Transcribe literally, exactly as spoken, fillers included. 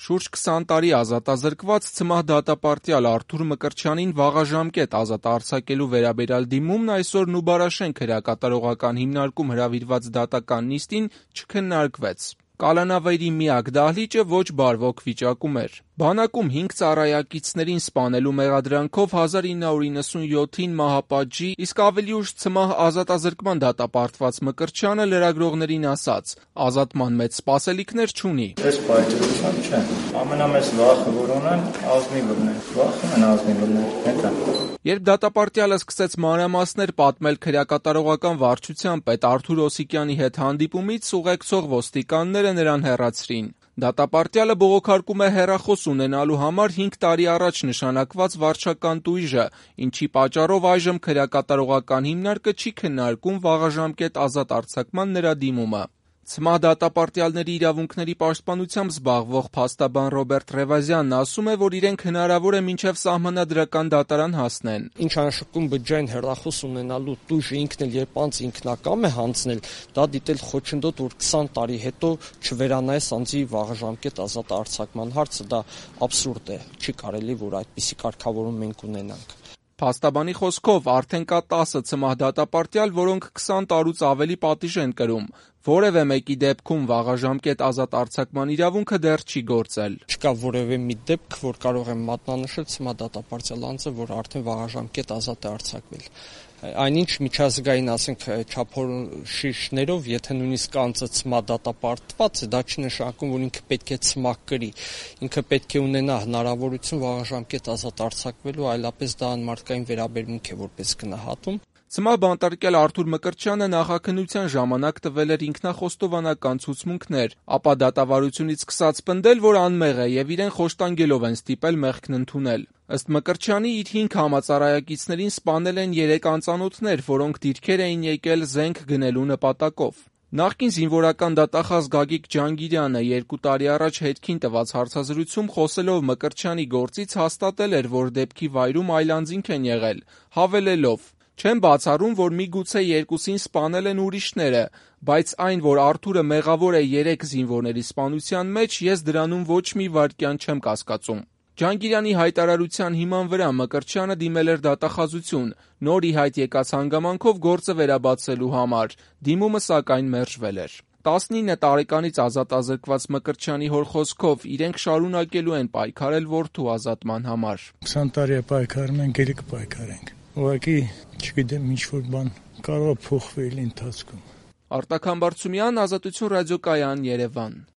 Շուրջ քսան տարի ազատազրկված ցմահ դատապարտյալ Արթուր Մկրտչյանին վաղաժամկետ ազատ արձակելու վերաբերյալ դիմումն այսօր Նուբարաշենք հրակատարողական հիմնարկում հրավիրված դատական նիստին չքննարկվեց։ Կալանավայրի միակ դահլիճը ոչ բարվոք վիճակում էր։ Բանակում հինգ ծառայակիցներին սպանելու մեղադրանքով հազար ինը հարյուր իննսունյոթին մահապատժի, իսկ ավելի ուշ ցմահ ազատազրկման դատապարտված Մկրտչյանը լրագրողներին ասաց. ազատման մեծ սպասելիքներ չունի։ Ես պայծրություն չէ։ Ամենամեծ վախը, որ ունեմ, ազնիվն է։ Վախում են ազնիվները, հետո։ Երբ դատապարտյալը սկսեց մանրամասներ պատմել քրեակատարողական վարչության պետ Արթուր Օսիկյանի հետ հանդիպումից, ուղեկցող ոստիկանները նրան հեռացրին։ Դատապարտյալը բողոքարկում է հեռախոս ունենալու համար հինգ տարի առաջ նշանակված վարչական տույժը, ինչի պատճառով այժմ քրեակատարողական հիմնարկը չի քննարկում վաղաժամկետ ազատ արձակման նրա դիմումը։ Ցմահ դատապարտյալների իրավունքների պաշտպանությամբ զբաղվող փաստաբան Ռոբերտ Ռևազյանն ասում է, որ իրենք հնարավոր է մինչև սահմանադրական դատարան հասնեն։ Ինչ անշկում բջջային հեռախոս ունենալու տույժը ինքն էլ երբ անձ ինքնակամ է հանձնել, դա դիտել խոչընդոտ, որ քսան տարի հետո չվերանայես անձի վաղաժամկետ ազատ արձակման հարցը, դա աբսուրդ է, չի կարելի, որ այդպիսի կարգավորում մենք ունենանք։ Փաստաբանի խոսքով արդեն կա տասը ցմահ դատապարտյալ, որոնք քսան տարուց ավելի պատիժ են կրում։ Որևէ մեկի դեպքում վաղաժամկետ ազատ արձակման իրավունքը դեռ չի գործել։ Չկա որևէ մի դեպք, որ կարող եմ մատնանշել ցմահ դատապարտյալ անձը, որ արդեն վաղաժամկետ ազատ է արձակվել։ Այնինչ միջազգային, ասենք, չափորոշիչներով, եթե նույնիսկ անձը ցմահ դատապարտված է, դա չի նշանակում, որ ինքը պետք է ցմահ կրի։ Ինքը պետք է ունենա հնարավորություն վաղաժամկետ ազատ արձակվելու, այլապես դա անմարդկային վերաբերմունք է որպես գնահատում։ Ցմահ բանտարկյալ Արթուր Մկրտչյանը նախաքննության ժամանակ տվել էր ինքնախոստովանական ցուցմունքներ, ապա դատավարությունից սկսած պնդել, որ անմեղ է եւ իրեն խոշտանգելով են ստիպել մեղքն ընդունել։ Ըստ Մկրտչյանի, իր հինգ համածառայակիցներին սպանել են երեք անծանոթներ, որոնք դիրքեր էին եկել զենք գնելու նպատակով։ Նախկին զինվորական դատախազ Գագիկ Ջանգիրյանը երկու տարի առաջ Հետքին տված հարցազրույցում խոսելով Մկրտչյանի գործից հաստատել էր, որ դեպքի վայրում այլանձինք են եղել, հավելելով. «Չեմ բացառում, որ միգուցե երկուսին սպանել են ուրիշները, բայց այն, որ Արթուրը մեղավոր է երեք զինվորների սպանության մեջ, ես դրանում ոչ մի վայրկյան չեմ կասկածում»։ Ջանգիրյանի հայտարարության հիման վրա Մկրտչյանը դիմել էր դատախազություն, նոր ի հայտ եկած հանգամանքով գործը վերաբացելու համար, դիմումը սակայն մերժվել էր։ տասնինը տարեկանից ազատազրկված Մկրտչյանի հոր խոսքով իրենք շարունակելու են պայքարել որդու ազատման համար։ քսան տարի է պայքարում ենք, ելի կպայքարենք։ Ուղղակի, չգիտեմ, ինչ-որ բան կարող է փոխվել ընթացքում։ Արտակ Համբարձումյան, Ազատություն ռադիոկայան, Երևան։